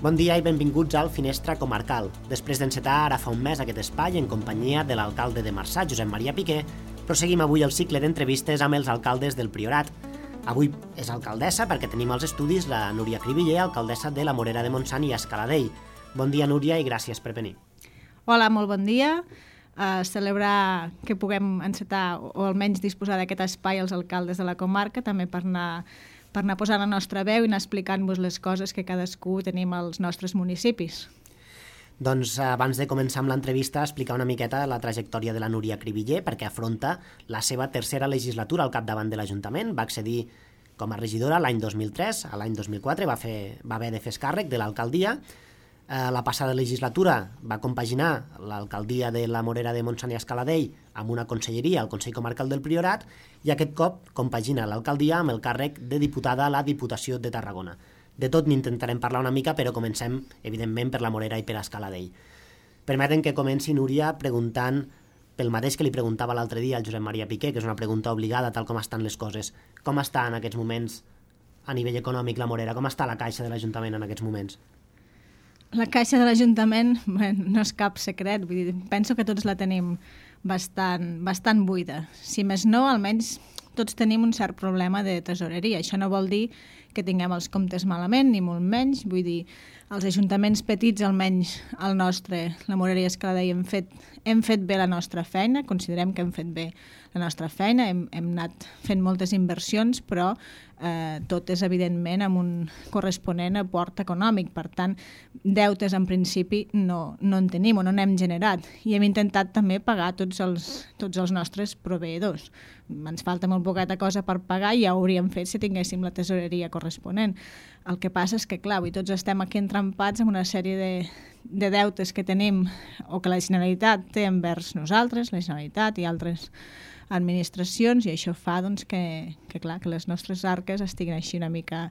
Bon dia i benvinguts al Finestra Comarcal. Després d'encetar ara fa un mes aquest espai en companyia de l'alcalde de Marçà, Josep Maria Piqué, proseguim avui el cicle d'entrevistes amb els alcaldes del Priorat. Avui és alcaldessa perquè tenim als estudis la Núria Cribiller, alcaldessa de la Morera de Montsant i Escaladell. Bon dia, Núria, i gràcies per venir. Hola, molt bon dia. Celebrar que puguem encetar o almenys disposar d'aquest espai als alcaldes de la comarca, també per anar posant la nostra veu i anar explicant-vos les coses que cadascú tenim als nostres municipis. Doncs abans de començar amb l'entrevista, explicar una miqueta la trajectòria de la Núria Cribiller, perquè afronta la seva tercera legislatura al capdavant de l'Ajuntament. Va accedir com a regidora l'any 2003, a l'any 2004 va haver de fer càrrec de l'alcaldia. La passada legislatura va compaginar l'alcaldia de la Morera de Montsant i Escaladell amb una conselleria al Consell Comarcal del Priorat i aquest cop compagina l'alcaldia amb el càrrec de diputada a la Diputació de Tarragona. De tot n'intentarem parlar una mica, però comencem, evidentment, per la Morera i per Escaladell. Permeten que comenci, Núria, preguntant pel mateix que li preguntava l'altre dia al Josep Maria Piqué, que és una pregunta obligada, tal com estan les coses. Com està en aquests moments, a nivell econòmic, la Morera? Com està la caixa de l'Ajuntament en aquests moments? La caixa de l'Ajuntament no és cap secret, vull dir, penso que tots la tenim bastant buida. Si més no, almenys tots tenim un cert problema de tresoreria. Això no vol dir que tinguem els comptes malament, ni molt menys. Vull dir, els ajuntaments petits, almenys el nostre, la Morera i Escaladell, hem fet bé la nostra feina, considerem que hem fet bé la nostra feina, hem anat fent moltes inversions, però tot és evidentment amb un corresponent aport econòmic. Per tant, deutes en principi no en tenim o no n'hem generat i hem intentat també pagar tots els nostres proveïdors. Ens falta molt poqueta cosa per pagar i ja ho hauríem fet si tinguéssim la tesoreria corresponent. El que passa és que, clar, avui tots estem aquí entrampats amb una sèrie de deutes que tenim o que la Generalitat té envers nosaltres, la Generalitat i altres administracions, i això fa doncs, que les nostres arques estiguin així una mica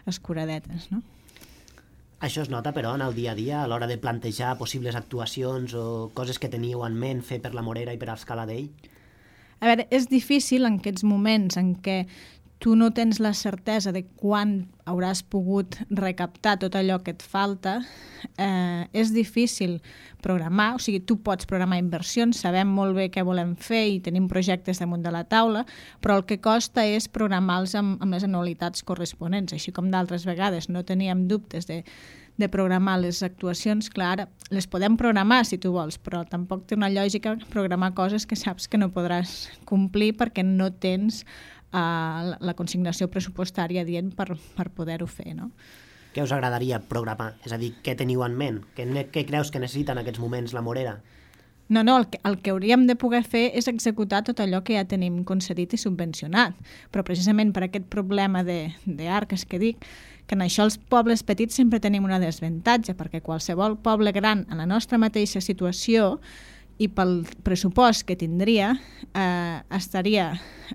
escuradetes, no? Això es nota, però, en el dia a dia, a l'hora de plantejar possibles actuacions o coses que teníeu en ment fer per la Morera i per Escaladell? A veure, és difícil en aquests moments en què tu no tens la certesa de quan hauràs pogut recaptar tot allò que et falta, és difícil programar, o sigui, tu pots programar inversions, sabem molt bé què volem fer i tenim projectes damunt de la taula, però el que costa és programar-los amb les anualitats corresponents, així com d'altres vegades no teníem dubtes de programar les actuacions, clar, les podem programar si tu vols, però tampoc té una lògica programar coses que saps que no podràs complir perquè no tens la consignació pressupostària dient per poder-ho fer, no? Què us agradaria programar? És a dir, què teniu en ment? Què creus que necessita en aquests moments la Morera? No, el que hauríem de poder fer és executar tot allò que ja tenim concedit i subvencionat, però precisament per aquest problema d'arques que dic, que en això els pobles petits sempre tenim una desavantatge, perquè qualsevol poble gran en la nostra mateixa situació i pel pressupost que tindria, estaria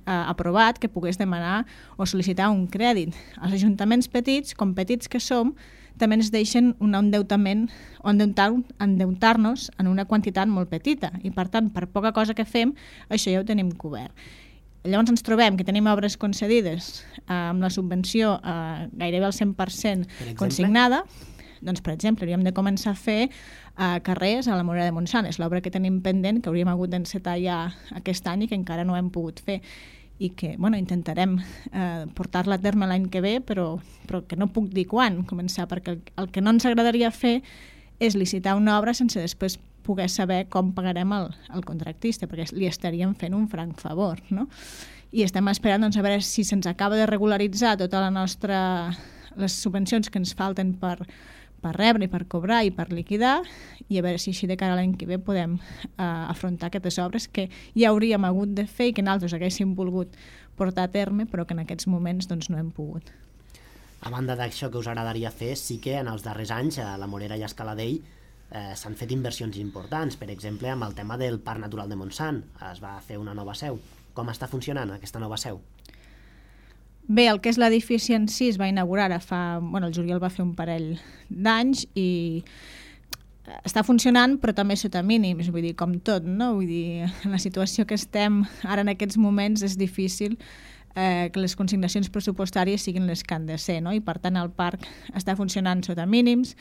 aprovat que pogués demanar o sol·licitar un crèdit. Els ajuntaments petits, com petits que som, també ens deixen un endeutament o endeutar-nos en una quantitat molt petita i, per tant, per poca cosa que fem, això ja ho tenim cobert. Llavors ens trobem que tenim obres concedides amb la subvenció gairebé al 100% consignada. Doncs, per exemple, hauríem de començar a fer carrers a la Morera de Montsant. És l'obra que tenim pendent, que hauríem hagut d'encetar ja aquest any i que encara no hem pogut fer. I que intentarem portar-la a terme l'any que ve, però que no puc dir quan començar, perquè el que no ens agradaria fer és licitar una obra sense després poder saber com pagarem el contractista, perquè li estaríem fent un franc favor, no? I estem esperant a veure si se'ns acaba de regularitzar tota les subvencions que ens falten per rebre i per cobrar i per liquidar, i a veure si així de cara a l'any que ve podem afrontar aquestes obres que ja hauríem hagut de fer i que nosaltres haguéssim volgut portar a terme, però que en aquests moments doncs, no hem pogut. A banda d'això que us agradaria fer, sí que en els darrers anys a la Morera i Escaladell s'han fet inversions importants, per exemple amb el tema del Parc Natural de Montsant. Es va fer una nova seu. Com està funcionant aquesta nova seu? Bé, el que és l'edifici en si es va inaugurar el juliol va fer un parell d'anys i està funcionant, però també sota mínims, vull dir, com tot, no? Vull dir, en la situació que estem ara en aquests moments és difícil que les consignacions pressupostàries siguin les que han de ser, no? I per tant el parc està funcionant sota mínims.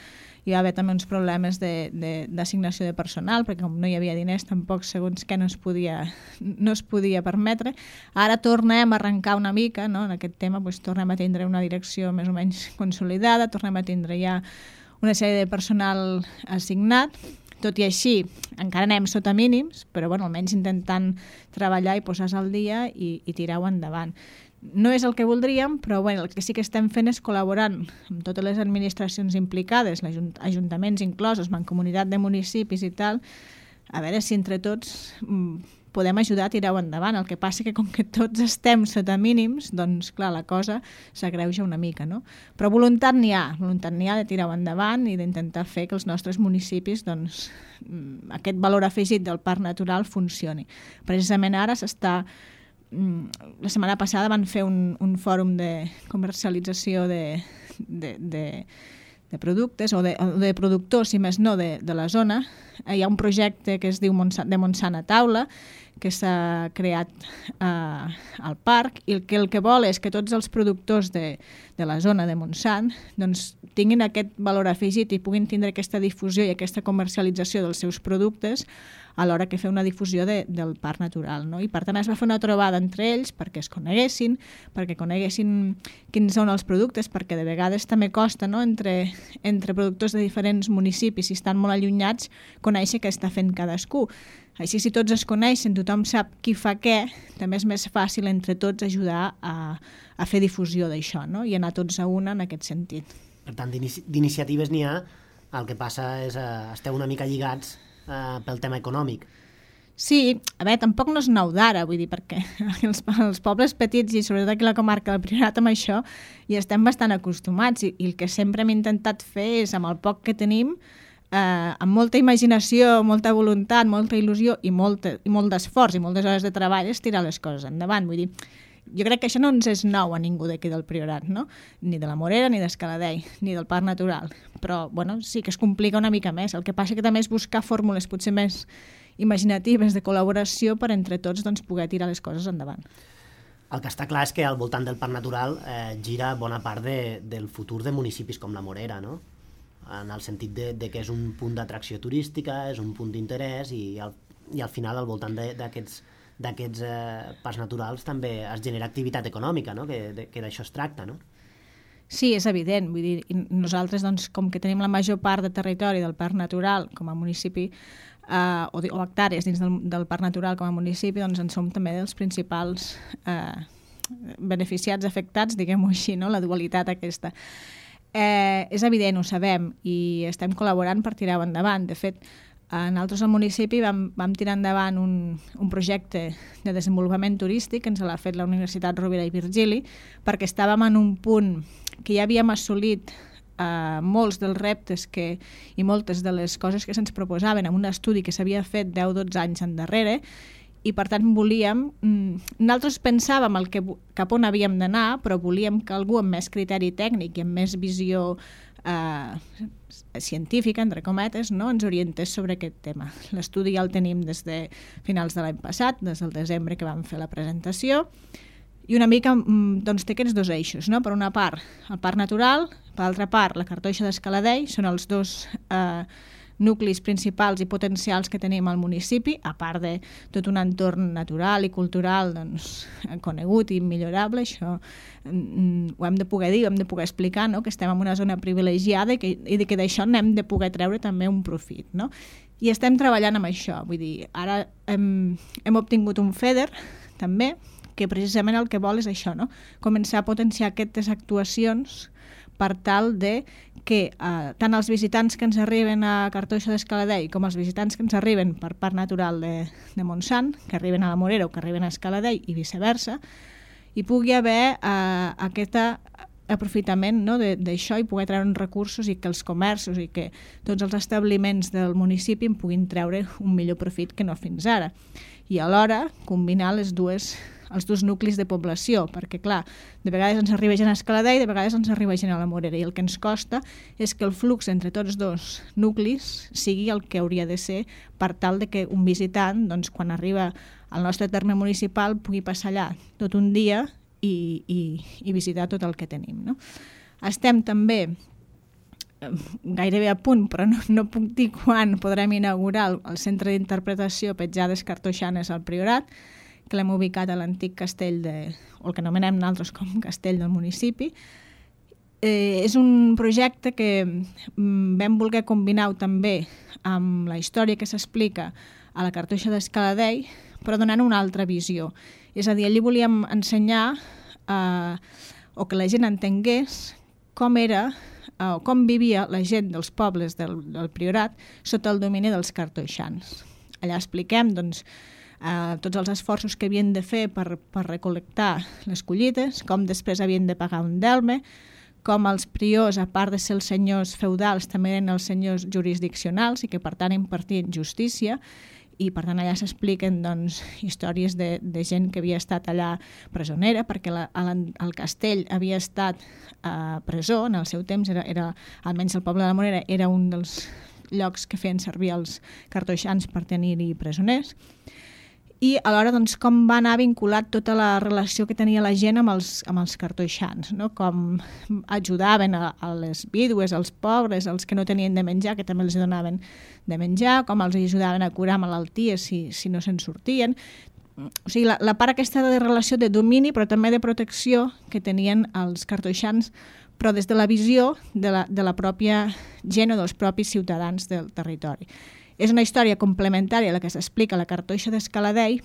Hi va haver també uns problemes d'assignació de personal, perquè com no hi havia diners tampoc segons què no es podia permetre. Ara tornem a arrencar una mica, no? En aquest tema tornem a tindre una direcció més o menys consolidada, tornem a tindre ja una sèrie de personal assignat. Tot i així, encara anem sota mínims, però almenys intentant treballar i posar-se al dia i tirar-ho endavant. No és el que voldríem, però el que sí que estem fent és col·laborant amb totes les administracions implicades, ajuntaments inclosos, mancomunitat de municipis i tal, a veure si entre tots podem ajudar a tirar-ho endavant. El que passa que com que tots estem sota mínims, doncs clar, la cosa s'agreuja una mica, no? Però voluntat n'hi ha de tirar-ho endavant i d'intentar fer que els nostres municipis, doncs, aquest valor afegit del parc natural funcioni. Precisament ara la setmana passada van fer un fòrum de comercialització de productes o de productors, si més no, de la zona. Hi ha un projecte que es diu de Montsant a Taula, que s'ha creat al parc i el que vol és que tots els productors de la zona de Montsant doncs, tinguin aquest valor afegit i puguin tindre aquesta difusió i aquesta comercialització dels seus productes a l'hora que fer una difusió del parc natural, no? I per tant es va fer una trobada entre ells perquè es coneguessin, perquè coneguessin quins són els productes, perquè de vegades també costa, no? entre productors de diferents municipis, si estan molt allunyats, conèixer què està fent cadascú. Així, si tots es coneixen, tothom sap qui fa què, també és més fàcil entre tots ajudar a fer difusió d'això, no? I anar tots a una en aquest sentit. Per tant, d'iniciatives n'hi ha, el que passa és esteu una mica lligats pel tema econòmic. Sí, a veure, tampoc no és nou d'ara, vull dir, perquè els pobles petits i sobretot aquí a la comarca del Priorat amb això hi estem bastant acostumats i el que sempre hem intentat fer és, amb el poc que tenim, amb molta imaginació, molta voluntat, molta il·lusió i molt d'esforç i moltes hores de treball és tirar les coses endavant. Vull dir, jo crec que això no ens és nou a ningú d'aquí del Priorat, no? Ni de la Morera, ni d'Escaladei, ni del Parc Natural. Però, sí que es complica una mica més. El que passa que també és buscar fórmules potser més imaginatives de col·laboració per entre tots doncs, poder tirar les coses endavant. El que està clar és que al voltant del Parc Natural gira bona part del futur de municipis com la Morera, no? En el sentit de que és un punt d'atracció turística, és un punt d'interès i al final al voltant d'aquests parcs naturals també es genera activitat econòmica, no? que d'això es tracta, no? Sí, és evident. Vull dir, nosaltres, doncs, com que tenim la major part de territori del parc natural com a municipi, o hectàrees dins del parc natural com a municipi, doncs en som també dels principals beneficiats, afectats, diguem-ho així, no? La dualitat aquesta. És evident, ho sabem, i estem col·laborant per tirar-ho endavant. De fet, nosaltres al municipi vam tirar endavant un projecte de desenvolupament turístic que ens l'ha fet la Universitat Rovira i Virgili, perquè estàvem en un punt que ja havíem assolit molts dels reptes i moltes de les coses que se'ns proposaven en un estudi que s'havia fet 10-12 anys endarrere, i per tant nosaltres pensàvem cap on havíem d'anar, però volíem que algú amb més criteri tècnic i amb més visió científica, entre cometes, no, ens orientés sobre aquest tema. L'estudi ja el tenim des de finals de l'any passat, des del desembre que vam fer la presentació, i una mica doncs, té aquests dos eixos, no? Per una part, el parc natural, per l'altra part, la cartoixa d'Escaladei, són els dos nuclis principals i potencials que tenim al municipi, a part de tot un entorn natural i cultural doncs, conegut i millorable. Això ho hem de poder dir, ho hem de poder explicar, no? Que estem en una zona privilegiada i que d'això n'hem de poder treure també un profit, no? I estem treballant amb això. Vull dir, ara hem obtingut un FEDER també, que precisament el que vol és això, no? Començar a potenciar aquestes actuacions per tal de que tant els visitants que ens arriben a Cartoixa d'Escaladei com els visitants que ens arriben per Parc Natural de Montsant, que arriben a la Morera o que arriben a Escaladei i viceversa, hi pugui haver aquest aprofitament, no, d'això i poder treure recursos i que els comerços i que tots els establiments del municipi en puguin treure un millor profit que no fins ara. I alhora combinar els dos nuclis de població, perquè clar, de vegades ens arriba gent a Escaladei, de vegades ens arriba gent a la Morera, i el que ens costa és que el flux entre tots dos nuclis sigui el que hauria de ser per tal de que un visitant, doncs, quan arriba al nostre terme municipal, pugui passar allà tot un dia i visitar tot el que tenim, no? Estem també gairebé a punt, però no puc dir quan podrem inaugurar el centre d'interpretació Petjades Cartoixanes al Priorat, que l'hem ubicat a l'antic castell, o el que anomenem nosaltres com castell del municipi. És un projecte que vam voler combinar també amb la història que s'explica a la Cartoixa d'Escaladei, però donant una altra visió. És a dir, allí volíem ensenyar o que la gent entengués com era o com vivia la gent dels pobles del Priorat sota el domini dels cartoixans. Allà expliquem doncs, tots els esforços que havien de fer per recol·lectar les collites, com després havien de pagar un delme, com els priors, a part de ser els senyors feudals, també eren els senyors jurisdiccionals i que per tant impartien justícia, i per tant allà s'expliquen doncs, històries de gent que havia estat allà presonera, perquè el castell havia estat presó en el seu temps, era almenys el poble de la Morera era un dels llocs que feien servir els cartoixans per tenir-hi presoners, i alhora doncs, com va anar vinculat tota la relació que tenia la gent amb els cartoixans, no? Com ajudaven a les vídues, als pobres, als que no tenien de menjar, que també els donaven de menjar, com els ajudaven a curar malalties si no se'n sortien. O sigui, la part aquesta de relació de domini, però també de protecció que tenien els cartoixans, però des de la visió de la pròpia gent o dels propis ciutadans del territori. És una història complementària a la que s'explica a la Cartoixa d'Escaladei,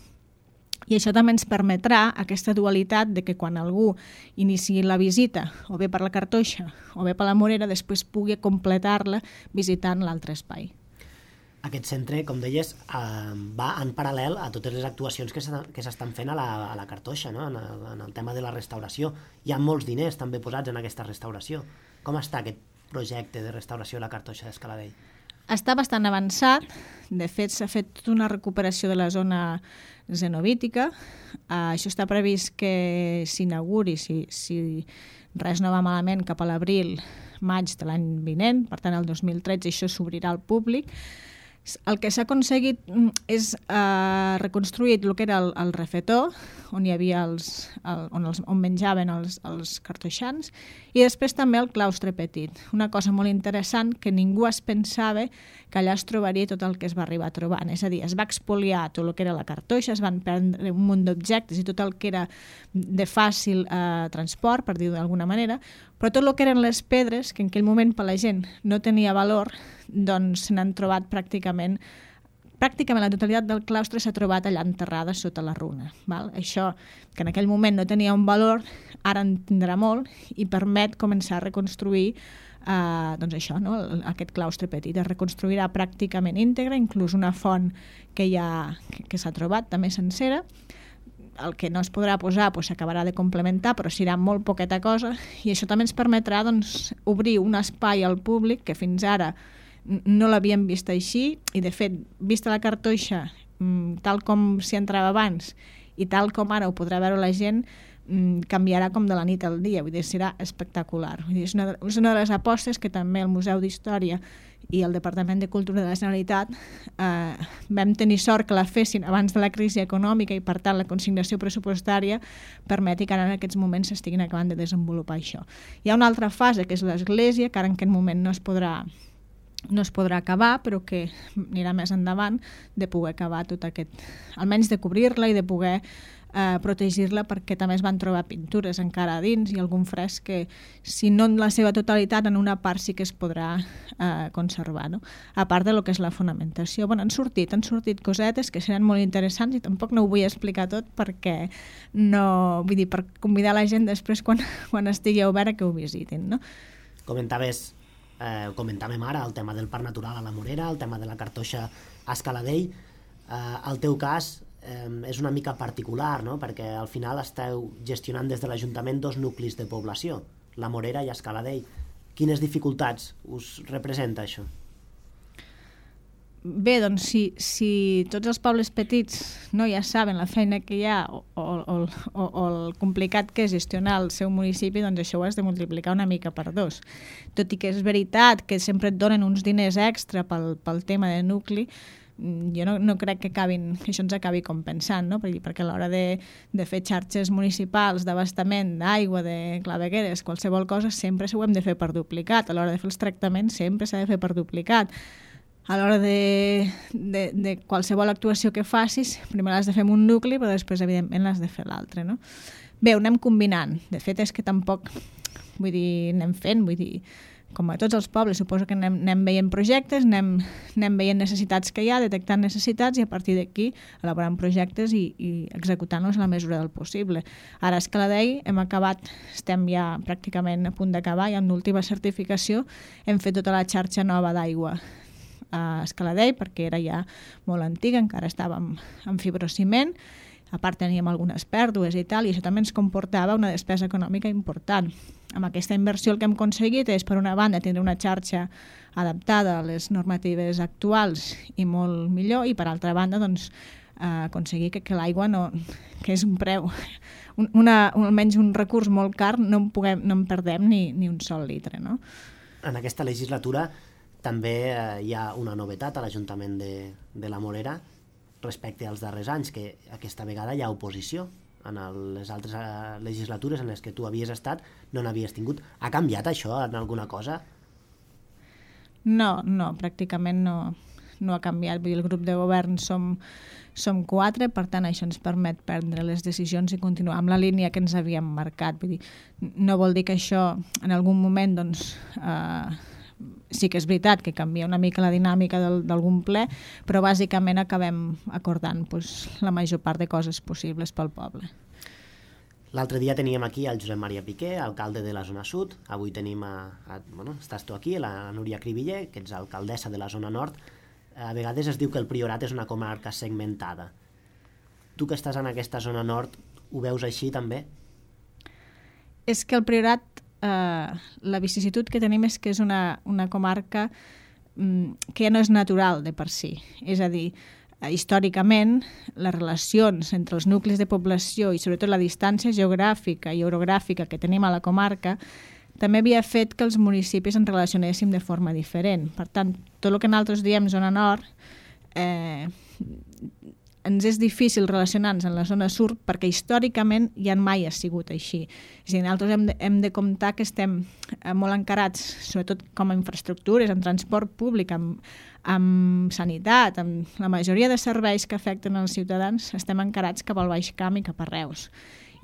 i això també ens permetrà aquesta dualitat de que quan algú iniciï la visita, o bé per la Cartoixa o bé per la Morera, després pugui completar-la visitant l'altre espai. Aquest centre, com deies, va en paral·lel a totes les actuacions que s'estan fent a la Cartoixa, no? En el tema de la restauració. Hi ha molts diners també posats en aquesta restauració. Com està aquest projecte de restauració de la Cartoixa d'Escaladei? Està bastant avançat. De fet, s'ha fet una recuperació de la zona zenobítica. Això està previst que s'inauguri, si res no va malament, cap a l'abril, maig de l'any vinent. Per tant, el 2013 això s'obrirà al públic. El que s'ha aconseguit és reconstruir el que era el refetó, on hi havia on menjaven els cartoixans, i després també el claustre petit. Una cosa molt interessant que ningú es pensava que allà es trobaria tot el que es va arribar trobant. És a dir, es va expoliar tot el que era la cartoixa, es van prendre un munt d'objectes i tot el que era de fàcil transport, per dir-ho d'alguna manera, però tot el que eren les pedres, que en aquell moment per la gent no tenia valor, doncs se n'han trobat pràcticament la totalitat del claustre s'ha trobat allà enterrada sota la runa. Val? Això, que en aquell moment no tenia un valor, ara en tindrà molt i permet començar a reconstruir doncs això, no? Aquest claustre petit. Es reconstruirà pràcticament íntegre, inclús una font que s'ha trobat també sencera. El que no es podrà posar s'acabarà de complementar, però serà molt poqueta cosa, i això també ens permetrà doncs, obrir un espai al públic que fins ara no l'havíem vist així, i de fet, vista la Cartoixa tal com s'hi entrava abans i tal com ara ho podrà veure la gent, canviarà com de la nit al dia, vull dir, serà espectacular. Vull dir, és una de les apostes que també el Museu d'Història i el Departament de Cultura de la Generalitat vam tenir sort que la fessin abans de la crisi econòmica, i per tant la consignació pressupostària permeti que ara en aquests moments s'estiguin acabant de desenvolupar això. Hi ha una altra fase, que és l'església, que ara en aquest moment no es podrà acabar, però que anirà més endavant, de poder acabar tot aquest, almenys de cobrir-la i de poder protegir-la, perquè també es van trobar pintures encara a dins i algun fresc que, si no en la seva totalitat, en una part sí que es podrà conservar, no? A part de lo que és la fonamentació. Bueno, han sortit cosetes que seran molt interessants, i tampoc no ho vull explicar tot perquè no, vull dir, per convidar la gent després quan estigui obert a que ho visitin, no? Comentàvem ara el tema del Parc Natural a la Morera, el tema de la Cartoixa a Escaladei. El teu cas és una mica particular, no? Perquè al final esteu gestionant des de l'Ajuntament 2 nuclis de població, la Morera i Escaladei. Quines dificultats us representa això? Bé, doncs si tots els pobles petits ja saben la feina que hi ha o el complicat que és gestionar el seu municipi, doncs això ho has de multiplicar una mica per 2. Tot i que és veritat que sempre et donen uns diners extra pel tema de nucli, jo no crec que això ens acabi compensant, no? Perquè a l'hora de fer xarxes municipals d'abastament d'aigua, de clavegueres, qualsevol cosa, sempre ho hem de fer per duplicat. A l'hora de fer els tractaments sempre s'ha de fer per duplicat. A l'hora de qualsevol actuació que facis, primer l'has de fer en un nucli, però després, evidentment, l'has de fer l'altre, no? Bé, ho anem combinant. De fet, és que tampoc, anem fent, com a tots els pobles, suposo que anem veient projectes, anem veient necessitats que hi ha, detectant necessitats i a partir d'aquí elaborant projectes i executant-los a la mesura del possible. Ara a Escaladei estem ja pràcticament a punt d'acabar, ja en l'última certificació hem fet tota la xarxa nova d'aigua a Escaladei perquè era ja molt antiga, encara estàvem en fibrociment, a part teníem algunes pèrdues i tal, i això també ens comportava una despesa econòmica important. Amb aquesta inversió el que hem aconseguit és, per una banda, tindre una xarxa adaptada a les normatives actuals i molt millor, i per altra banda, doncs, aconseguir que l'aigua, que és un preu, almenys un recurs molt car, no en perdem ni un sol litre. No? En aquesta legislatura també hi ha una novetat a l'Ajuntament de la Morera, respecte als darrers anys, que aquesta vegada hi ha oposició. En les altres legislatures en les que tu havies estat no n'havies tingut. Ha canviat això en alguna cosa? No, pràcticament no ha canviat. Vull dir, el grup de govern som 4, per tant això ens permet prendre les decisions i continuar amb la línia que ens havíem marcat. Vull dir, no vol dir que això en algun moment doncs, sí que és veritat que canvia una mica la dinàmica d'algun ple, però bàsicament acabem acordant la major part de coses possibles pel poble. L'altre dia teníem aquí el Josep Maria Piqué, alcalde de la zona sud. Avui tenim, estàs tu aquí, la Núria Cribiller, que ets alcaldessa de la zona nord. A vegades es diu que el Priorat és una comarca segmentada. Tu que estàs en aquesta zona nord, ho veus així també? És que el Priorat, la vicisitud que tenim és que és una comarca que ja no és natural de per si. És a dir, històricament, les relacions entre els nuclis de població i sobretot la distància geogràfica i orogràfica que tenim a la comarca també havia fet que els municipis ens relacionéssim de forma diferent. Per tant, tot el que nosaltres diem zona nord, ens és difícil relacionar-nos en la zona sud perquè històricament ja mai ha sigut així. És a dir, nosaltres hem de comptar que estem molt encarats, sobretot com a infraestructures, en transport públic, amb sanitat, amb la majoria de serveis que afecten els ciutadans, estem encarats cap al Baix Camp i cap a Reus.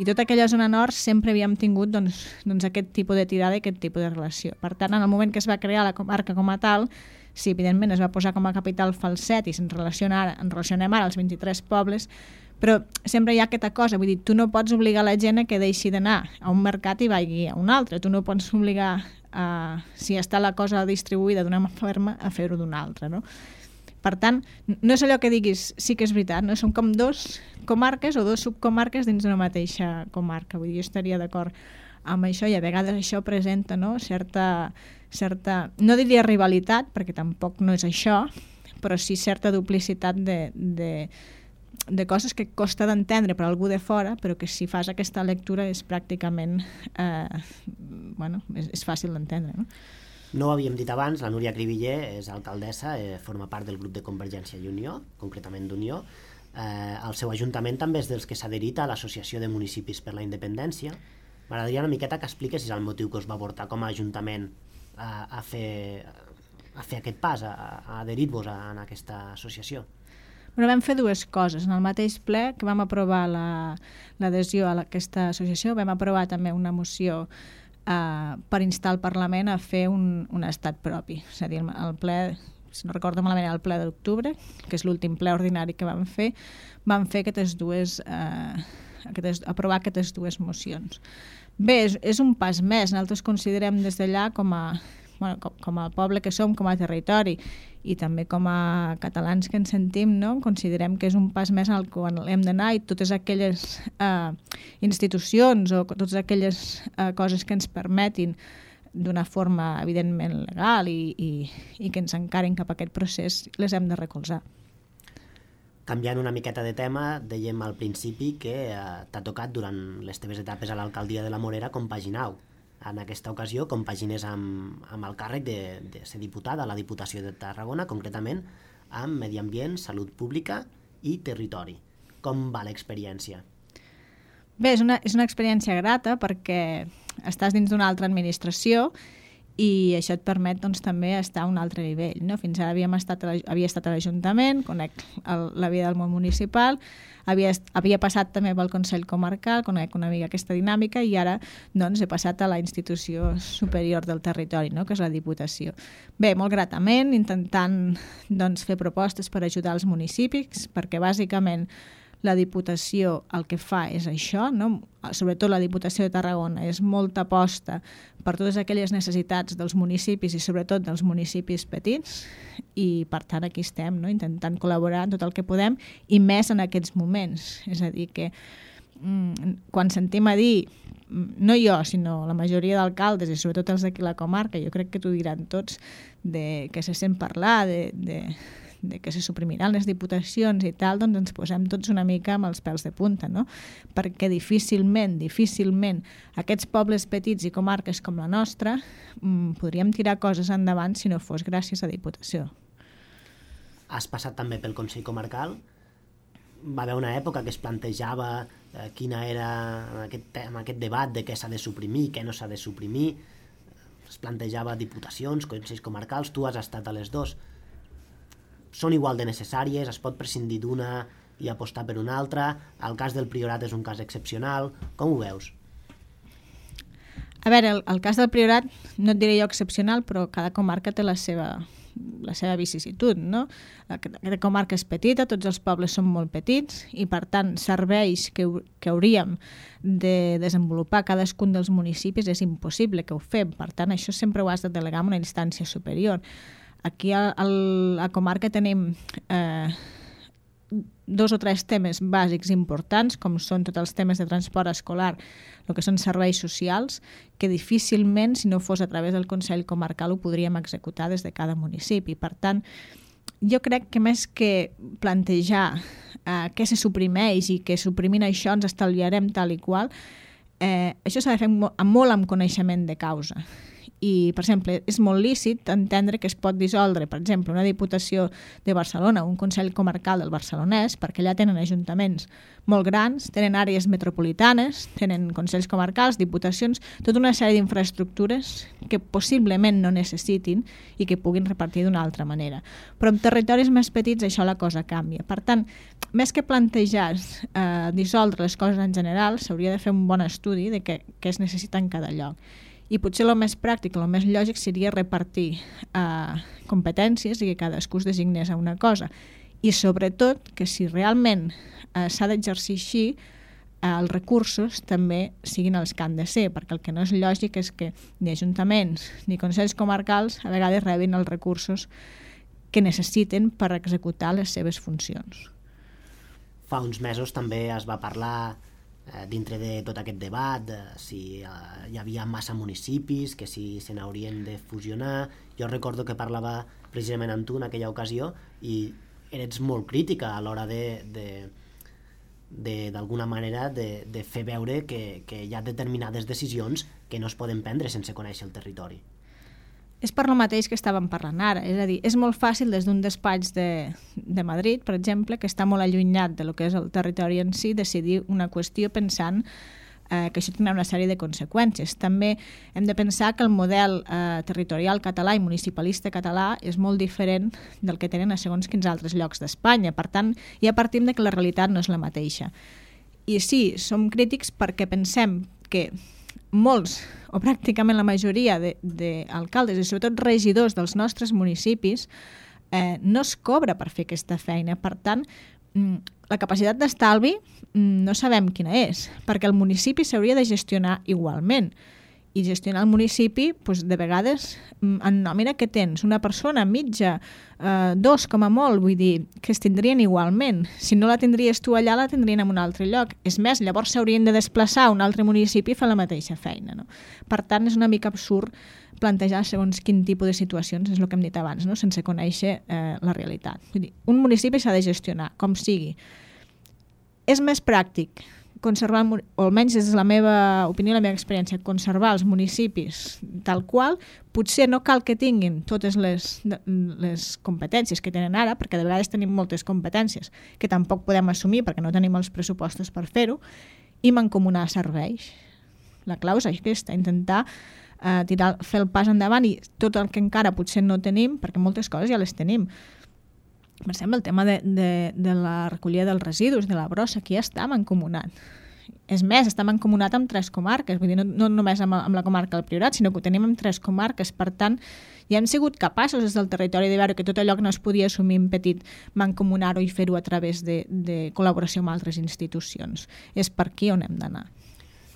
I tota aquella zona nord sempre havíem tingut doncs, aquest tipus de tirada i aquest tipus de relació. Per tant, en el moment que es va crear la comarca com a tal, sí, evidentment es va posar com a capital Falset i ens relacionem ara els 23 pobles, però sempre hi ha aquesta cosa, vull dir, tu no pots obligar la gent a que deixi d'anar a un mercat i vagi a un altre, tu no pots obligar, si està la cosa distribuïda d'una forma, a fer-ho d'una altra, no? Per tant, no és allò que diguis, sí que és veritat, no? Són com dos comarques o dos subcomarques dins d'una mateixa comarca, vull dir, jo estaria d'acord amb això i a vegades això presenta, no? certa, no diria rivalitat, perquè tampoc no és això, però sí certa duplicitat de coses que costa d'entendre per algú de fora, però que si fas aquesta lectura és pràcticament és fàcil d'entendre. No ho havíem dit abans, la Núria Cribiller és alcaldessa, forma part del grup de Convergència i Unió, concretament d'Unió. El seu ajuntament també és dels que s'ha adherit a l'Associació de Municipis per la Independència. M'agradaria una miqueta que expliquessis el motiu que us va portar com a ajuntament a fer aquest pas, a adherir-vos en aquesta associació. Bueno, vam fer dues coses. En el mateix ple que vam aprovar l'adhesió a aquesta associació, vam aprovar també una moció per instar el Parlament a fer un estat propi. És a dir, el ple, si no recordo malament, el ple d'octubre, que és l'últim ple ordinari que vam fer aprovar aquestes dues mocions. Bé, és un pas més. Nosaltres considerem des d'allà com a poble que som, com a territori i també com a catalans que ens sentim, no? Considerem que és un pas més en el que hem d'anar i totes aquelles institucions o totes aquelles coses que ens permetin d'una forma evidentment legal i que ens encarin cap a aquest procés les hem de recolzar. Canviant una miqueta de tema, dèiem al principi que t'ha tocat durant les teves etapes a l'alcaldia de la Morera compaginar-ho. En aquesta ocasió compagines amb el càrrec de ser diputada a la Diputació de Tarragona, concretament amb medi ambient, salut pública i territori. Com va l'experiència? Bé, és una experiència grata perquè estàs dins d'una altra administració i això et permet doncs, també estar a un altre nivell. No? Fins ara havia estat a l'Ajuntament, conec la vida del món municipal, havia passat també pel Consell Comarcal, conec una mica aquesta dinàmica i ara doncs, he passat a la institució superior del territori, no? Que és la Diputació. Bé, molt gratament, intentant doncs, fer propostes per ajudar els municipis, perquè bàsicament la Diputació el que fa és això, no? Sobretot la Diputació de Tarragona, és molta aposta per totes aquelles necessitats dels municipis i sobretot dels municipis petits i per tant aquí estem, no? Intentant col·laborar en tot el que podem i més en aquests moments. És a dir, que quan sentim a dir, no jo, sinó la majoria d'alcaldes i sobretot els d'aquí a la comarca, jo crec que t'ho diran tots, que se sent parlar de que se suprimiran les diputacions i tal, doncs ens posem tots una mica amb els pèls de punta, no? Perquè difícilment aquests pobles petits i comarques com la nostra podríem tirar coses endavant si no fos gràcies a Diputació. Has passat també pel Consell Comarcal. Va haver una època que es plantejava quina era amb aquest debat de què s'ha de suprimir, què no s'ha de suprimir. Es plantejava diputacions, consells comarcals, tu has estat a les dos. Són igual de necessàries, es pot prescindir d'una i apostar per una altra. El cas del Priorat és un cas excepcional. Com ho veus? A veure, el cas del Priorat no et diré jo excepcional, però cada comarca té la seva vicisitud, no? Cada comarca és petita, tots els pobles són molt petits i per tant serveis que hauríem de desenvolupar cadascun dels municipis és impossible que ho fem, per tant això sempre ho has de delegar en una instància superior. Aquí a la comarca tenim 2 o 3 temes bàsics importants, com són tots els temes de transport escolar, el que són serveis socials, que difícilment, si no fos a través del Consell Comarcal, ho podríem executar des de cada municipi. Per tant, jo crec que més que plantejar què se suprimeix i que suprimint això ens estalviarem tal i qual, això s'ha de fer molt amb coneixement de causa. I, per exemple, és molt lícit entendre que es pot dissoldre, per exemple, una Diputació de Barcelona, un Consell Comarcal del Barcelonès, perquè allà tenen ajuntaments molt grans, tenen àrees metropolitanes, tenen consells comarcals, diputacions, tota una sèrie d'infraestructures que possiblement no necessitin i que puguin repartir d'una altra manera. Però en territoris més petits això la cosa canvia. Per tant, més que plantejar dissoldre les coses en general, s'hauria de fer un bon estudi de què es necessita en cada lloc. I potser el més pràctic, el més lògic seria repartir competències i que cadascú es designés a una cosa. I sobretot que si realment s'ha d'exercir així, els recursos també siguin els que han de ser, perquè el que no és lògic és que ni ajuntaments ni consells comarcals a vegades rebin els recursos que necessiten per executar les seves funcions. Fa uns mesos també es va parlar dintre de tot aquest debat, si hi havia massa municipis, que si se n'haurien de fusionar. Jo recordo que parlava precisament amb tu en aquella ocasió i eres molt crítica a l'hora d'alguna manera de fer veure que hi ha determinades decisions que no es poden prendre sense conèixer el territori. És per lo mateix que estàvem parlant ara, és a dir, és molt fàcil des d'un despatx de Madrid, per exemple, que està molt allunyat de lo que és el territori en si, decidir una qüestió pensant que això tindrà una sèrie de conseqüències. També hem de pensar que el model territorial català i municipalista català és molt diferent del que tenen a segons quins altres llocs d'Espanya. Per tant, ja partim de que la realitat no és la mateixa. I sí, som crítics perquè pensem que molts, o pràcticament la majoria d'alcaldes i sobretot regidors dels nostres municipis no es cobra per fer aquesta feina. Per tant, la capacitat d'estalvi no sabem quina és, perquè el municipi s'hauria de gestionar igualment. I gestionar el municipi, doncs, de vegades, en nòmina que tens una persona mitja, 2 com a molt, vull dir, que es tindrien igualment. Si no la tindries tu allà, la tindrien en un altre lloc. És més, llavors s'haurien de desplaçar a un altre municipi i fer la mateixa feina. No? Per tant, és una mica absurd plantejar segons quin tipus de situacions, és el que hem dit abans, no? Sense conèixer la realitat. Vull dir, un municipi s'ha de gestionar, com sigui. És més pràctic conservar, o almenys des de la meva opinió, la meva experiència, conservar els municipis tal qual, potser no cal que tinguin totes les competències que tenen ara, perquè de vegades tenim moltes competències que tampoc podem assumir perquè no tenim els pressupostos per fer-ho, i mancomunar serveis. La clau és aquesta, intentar fer el pas endavant i tot el que encara potser no tenim, perquè moltes coses ja les tenim. Per exemple, el tema de la recollida dels residus, de la brossa, aquí ja està mancomunat. És més, està mancomunat amb 3 comarques, vull dir, no només amb la comarca del Priorat, sinó que ho tenim amb 3 comarques. Per tant, ja hem sigut capaços des del territori de veure que tot allò que no es podia assumir en petit, mancomunar-ho i fer-ho a través de col·laboració amb altres institucions. És per aquí on hem d'anar.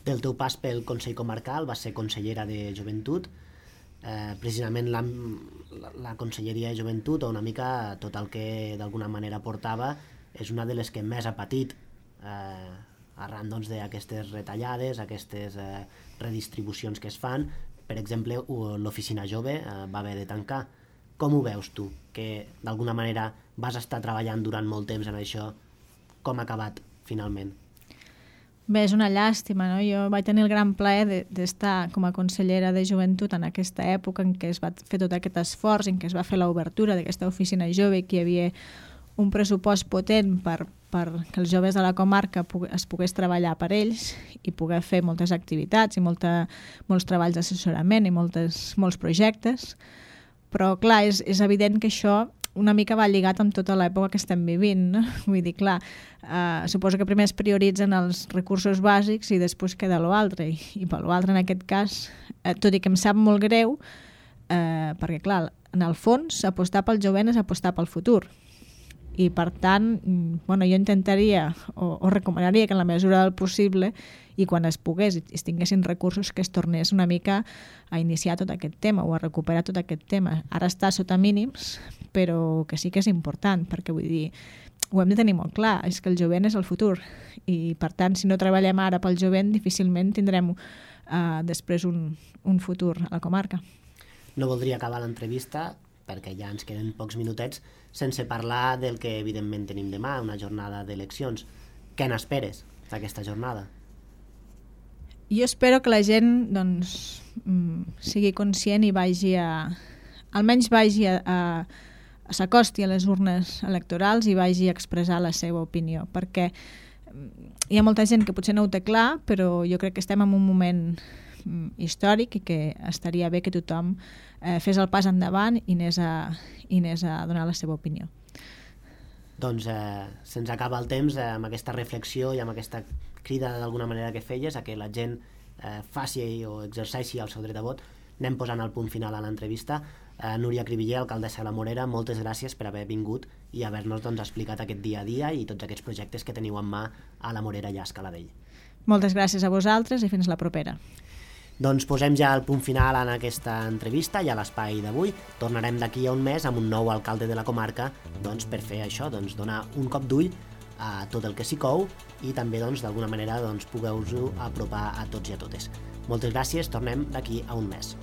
Del teu pas pel Consell Comarcal vas ser consellera de Joventut. Precisament la Conselleria de Joventut, o una mica tot el que d'alguna manera portava, és una de les que més ha patit arran d'aquestes retallades, aquestes redistribucions que es fan. Per exemple, l'Oficina Jove va haver de tancar. Com ho veus tu? Que d'alguna manera vas estar treballant durant molt temps en això. Com ha acabat finalment? Bé, és una llàstima, no? Jo vaig tenir el gran plaer d'estar com a consellera de Joventut en aquesta època en què es va fer tot aquest esforç, en què es va fer l'obertura d'aquesta oficina jove, que hi havia un pressupost potent per que els joves de la comarca es pogués treballar per ells i poder fer moltes activitats i molts treballs d'assessorament i molts projectes. Però, clar, és evident que això una mica va lligat amb tota l'època que estem vivint, no? Vull dir, clar, suposo que primer es prioritzen els recursos bàsics i després queda l'altre, i per l'altre en aquest cas, tot i que em sap molt greu, perquè clar, en el fons apostar pel jovent és apostar pel futur, i per tant, jo intentaria o recomanaria que en la mesura del possible i quan es pogués i es tinguessin recursos que es tornés una mica a iniciar tot aquest tema o a recuperar tot aquest tema. Ara està sota mínims, però que sí que és important, perquè vull dir, ho hem de tenir molt clar, és que el jovent és el futur i per tant, si no treballem ara pel jovent, difícilment tindrem després un futur a la comarca. No voldria acabar l'entrevista, perquè ja ens queden pocs minutets, sense parlar del que evidentment tenim demà, una jornada d'eleccions. Què n'esperes d'aquesta jornada? Jo espero que la gent sigui conscient i almenys vagi s'acosti a les urnes electorals i vagi a expressar la seva opinió, perquè hi ha molta gent que potser no ho té clar, però jo crec que estem en un moment històric i que estaria bé que tothom fes el pas endavant i anés a donar la seva opinió. Doncs se'ns acaba el temps amb aquesta reflexió i amb aquesta crida d'alguna manera que feies a que la gent faci o exerceixi el seu dret a vot. Anem posant el punt final a l'entrevista. Núria Cribiller, alcaldessa de la Morera, moltes gràcies per haver vingut i haver-nos explicat aquest dia a dia i tots aquests projectes que teniu en mà a la Morera i a Escaladell. Moltes gràcies a vosaltres i fins la propera. Doncs posem ja el punt final en aquesta entrevista i a l'espai d'avui. Tornarem d'aquí a un mes amb un nou alcalde de la comarca per fer això, donar un cop d'ull a tot el que s'hi cou i també d'alguna manera pugueu-vos apropar a tots i a totes. Moltes gràcies, tornem d'aquí a un mes.